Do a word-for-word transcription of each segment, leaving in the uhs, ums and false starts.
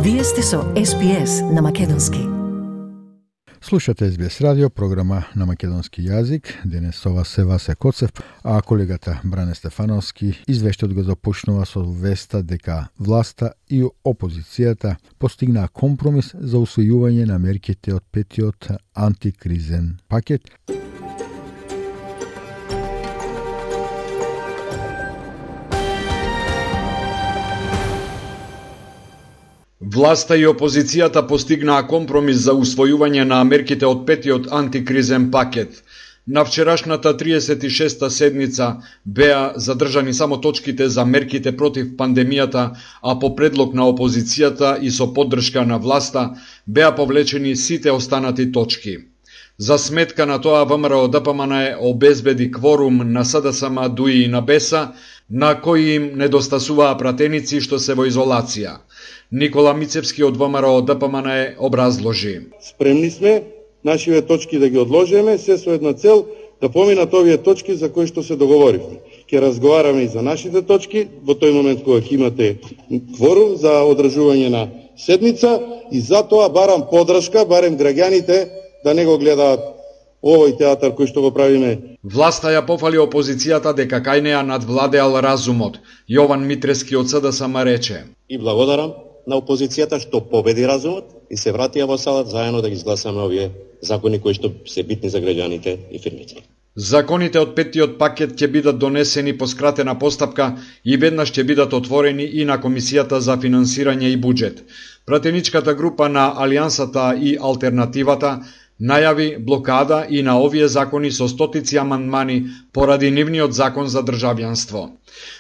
Вие сте со Ес Би Ес на македонски. Слушате Ес Би Ес радио, програма на македонски јазик. Денес со вас е Васе Коцев, а колегата Бране Стефановски извештајот го започнува со веста дека власта и опозицијата постигнаа компромис за усвојување на мерките од петиот антикризен пакет. Власта и опозицијата постигнаа компромис за усвојување на мерките од петиот антикризен пакет. На вчерашната триесет и шеста седница беа задржани само точките за мерките против пандемијата, а по предлог на опозицијата и со поддршка на власта беа повлечени сите останати точки. За сметка на тоа ВМРО Д П М Н обезбеди кворум на С Д С М, ДУИ и на Б Е С, на кои им недостасуваа пратеници што се во изолација. Никола Мицевски од ВМРО Д П М Н образложи: Спремни сме нашиве точки да ги одложиме, се со една цел да поминат овие точки за кои што се договоривме. Ќе разговараме и за нашите точки во тој момент кога ќе имате кворум за одржување на седница, и затоа барам поддршка, барем граѓаните да не го гледаат овој театар кој што го правиме. Власта ја пофали опозицијата дека кај неа надвладеал разумот. Јован Митрески од С Д С М рече: И благодарам на опозицијата што победи разумот и се вратија во салата заедно да ги изгласаме овие закони кои што се битни за граѓаните и фирмите. Законите од петиот пакет ќе бидат донесени по скратена постапка и веднаш ќе бидат отворени и на Комисијата за финансирање и буџет. Пратеничката група на Алијансата и Алтернативата најави блокада и на овие закони со стотици амандмани поради нивниот закон за државјанство.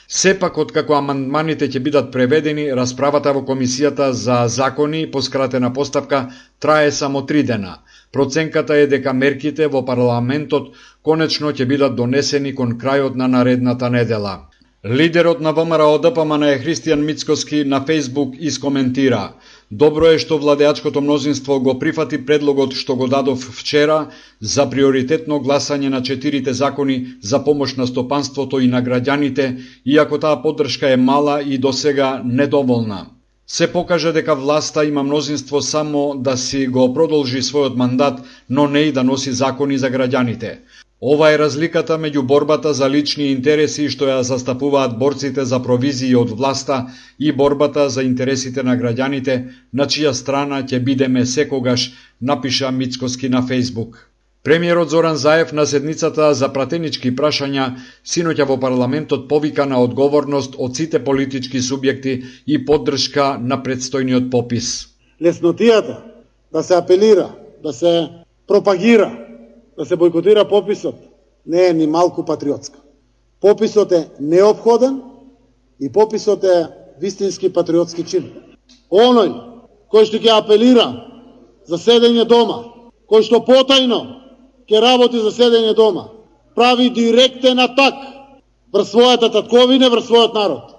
Сепак, откако амандманите ќе бидат преведени, расправата во Комисијата за закони по скратена постапка трае само три дена. Проценката е дека мерките во парламентот конечно ќе бидат донесени кон крајот на наредната недела. Лидерот на ВМРО Д П М Н Христијан Мицкоски на Фејсбук искоментира: Добро е што владеачкото мнозинство го прифати предлогот што го дадов вчера за приоритетно гласање на четирите закони за помош на стопанството и на граѓаните, иако таа поддршка е мала и досега недоволна. Се покажа дека власта има мнозинство само да си го продолжи својот мандат, но не и да носи закони за граѓаните. Ова е разликата меѓу борбата за лични интереси што ја застапуваат борците за провизии од власта и борбата за интересите на граѓаните, на чија страна ќе бидеме секогаш, напиша Мицкоски на Фејсбук. Премиерот Зоран Заев на седницата за пратенички прашања синоќа во парламентот повика на одговорност од сите политички субјекти и поддршка на предстојниот попис. Леснотијата да се апелира, да се пропагира, да се бойкотира пописот не е ни малку патриотска. Пописот е неопходен и пописот е вистински патриотски чин. Оној кој што ќе апелира за седење дома, кој што потајно ќе работи за седење дома, прави директен атак врз својата татковина, врз својот народ.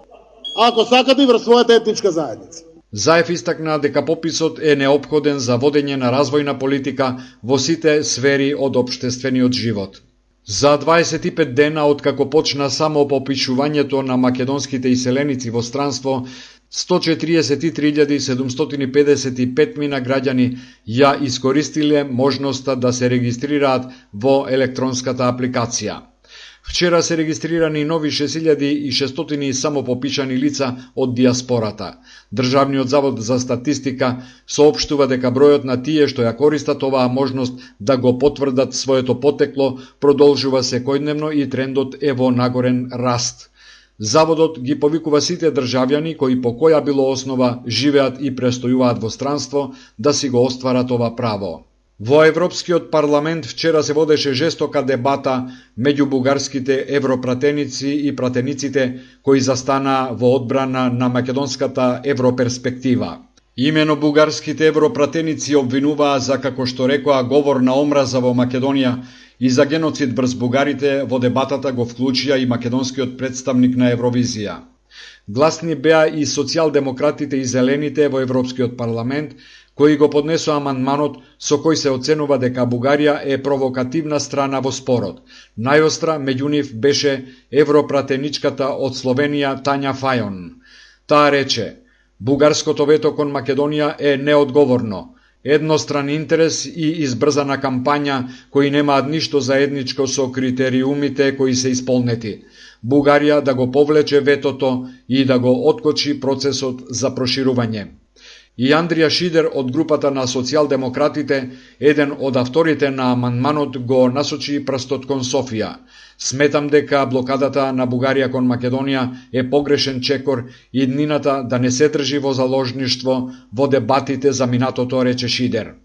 Ако сакате, врз својата етничка заедница. Заев истакна дека пописот е неопходен за водење на развојна политика во сите сфери од општествениот живот. За дваесет и пет дена откако почна само попишувањето на македонските иселеници во странство, сто четириесет и три илјади седумстотини и педесет и пет мина граѓани ја искористиле можноста да се регистрираат во електронската апликација. Вчера се регистрирани нови шест илјади и шестстотини самопопишани лица од диаспората. Државниот завод за статистика соопштува дека бројот на тие што ја користат оваа можност да го потврдат своето потекло продолжува секојдневно и трендот е во нагорен раст. Заводот ги повикува сите државјани кои по која било основа живеат и престојуваат во странство да си го остварат ова право. Во Европскиот парламент вчера се водеше жестока дебата меѓу бугарските европратеници и пратениците кои застанаа во одбрана на македонската европерспектива. Имено бугарските европратеници обвинуваа за, како што рекоа, говор на омраза во Македонија и за геноцид врз бугарите. Во дебатата го вклучија и македонскиот представник на Евровизија. Гласни беа и социјалдемократите и зелените во Европскиот парламент, кои го поднесоа амандманот со кој се оценува дека Бугарија е провокативна страна во спорот. Најостра меѓу нив беше европратеничката од Словенија Тања Фајон. Таа рече: Бугарското вето кон Македонија е неодговорно, едностран интерес и избрзана кампања кои немаат ништо заедничко со критериумите кои се исполнети. Бугарија да го повлече ветото и да го откочи процесот за проширување. И Андрија Шидер од групата на социјалдемократите, еден од авторите на амандманот, го насочи прстот кон Софија. Сметам дека блокадата на Бугарија кон Македонија е погрешен чекор и днината да не се држи во заложништво во дебатите за минатото, рече Шидер.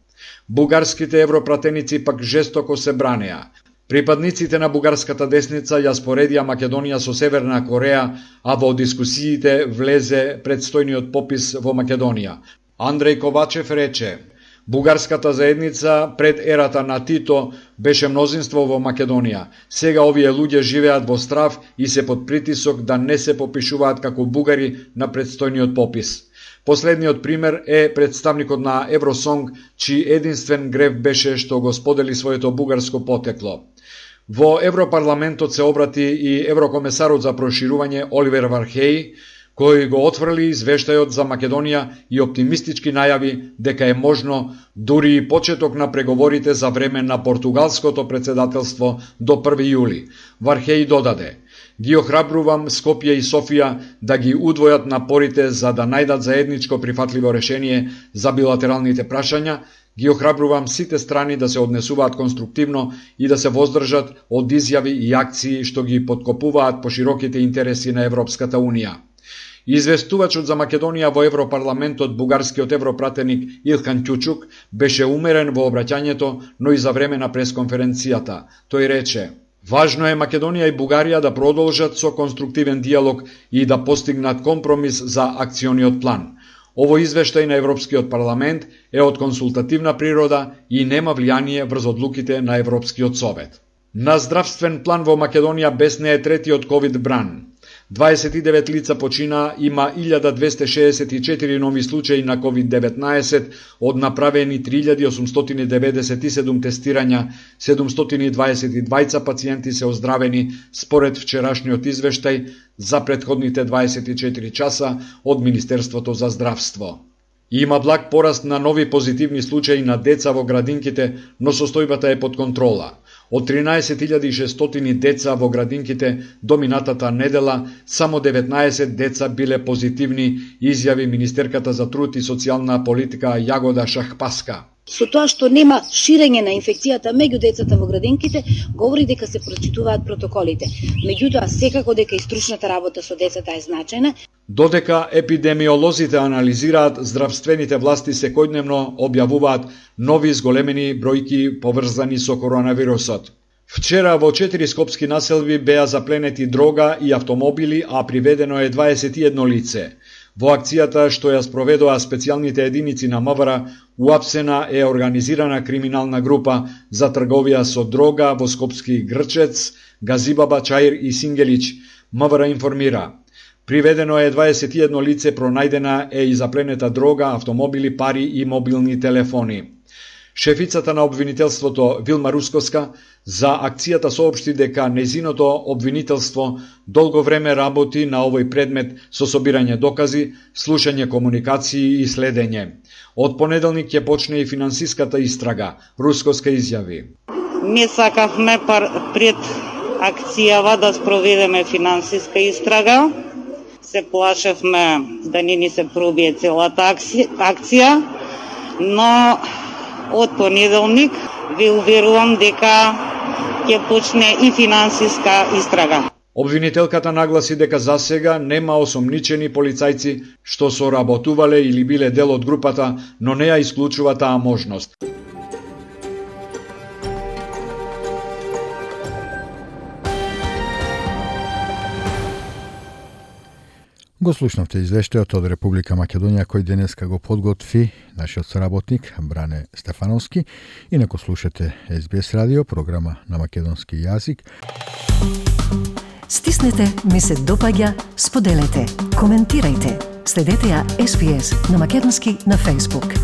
Бугарските европратеници пак жестоко се бранеа. Припадниците на бугарската десница ја споредија Македонија со Северна Кореја, а во дискусиите влезе предстојниот попис во Македонија. Андреј Ковачев рече: бугарската заедница пред ерата на Тито беше мнозинство во Македонија. Сега овие луѓе живеат во страв и се под притисок да не се попишуваат како бугари на предстојниот попис. Последниот пример е представникот на Евросонг, чиј единствен грев беше што го сподели своето бугарско потекло. Во Европарламентот се обрати и еврокомесарот за проширување Оливер Вархеј, кој го отфрли извештајот за Македонија и оптимистички најави дека е можно дури и почеток на преговорите за време на португалското председателство до први јули. Вархеј додаде: ги охрабрувам Скопје и Софија да ги удвојат напорите за да најдат заедничко прифатливо решение за билатералните прашања, ги охрабрувам сите страни да се однесуваат конструктивно и да се воздржат од изјави и акции што ги подкопуваат пошироките интереси на Европската Унија. Известувачот за Македонија во Европарламентот, бугарскиот европратеник Илхан Ќучук, беше умерен во обраќањето, но и за време на пресконференцијата. Тој рече: важно е Македонија и Бугарија да продолжат со конструктивен диалог и да постигнат компромис за акциониот план. Овој извештај на Европскиот парламент е од консултативна природа и нема влијание врз одлуките на Европскиот совет. На здравствен план во Македонија бесне е третиот ковид бран. дваесет и девет лица почина, има илјада двесте шеесет и четири нови случаи на ковид деветнаесет, од направени три илјади осумстотини деведесет и седум тестирања, седумстотини и дваесет и двајца пациенти се оздравени според вчерашниот извештај за претходните дваесет и четири часа од Министерството за здравство. Има благ пораст на нови позитивни случаи на деца во градинките, но состојбата е под контрола. Од тринаесет илјади и шестстотини деца во градинките до минатата недела, само деветнаесет деца биле позитивни, изјави министерката за труд и социјална политика Јагода Шахпаска. Со тоа што нема ширење на инфекцијата меѓу децата во градинките, говори дека се прочитуваат протоколите. Меѓутоа, секако дека и стручната работа со децата е значајна. Додека епидемиолозите анализираат, здравствените власти секојдневно објавуваат нови зголемени бројки поврзани со коронавирусот. Вчера во четири скопски населби беа запленети дрога и автомобили, а приведено е дваесет и едно лице. Во акцијата што ја спроведоа специјалните единици на МВР, уапсена е организирана криминална група за трговија со дрога во скопски Грчец, Газибаба, Чаир и Сингелич. МВР информира: приведено е дваесет и едно лице, пронајдена е и запленета дрога, автомобили, пари и мобилни телефони. Шефицата на обвинителството Вилма Рускоска за акцијата соопшти дека незиното обвинителство долго време работи на овој предмет со собирање докази, слушање комуникации и следење. Од понеделник ќе почне и финансиската истрага, Рускоска изјави: Ми сакавме пред акцијава да спроведеме финансиска истрага. Се плашевме да не ни се пробие целата акција, но од понеделник ви уверувам дека ќе почне и финансиска истрага. Обвинителката нагласи дека засега нема осомничени полицајци што соработувале или биле дел од групата, но не ја исклучува таа можност. Го слушнавте извештајот од Република Македонија кој денеска го подготви нашиот соработник Бране Стефановски. Инако слушате Ес Би Ес радио, програма на македонски јазик. Стиснете, ми се допаѓа, споделете, коментирајте. Следете ја Ес Би Ес на македонски на Facebook.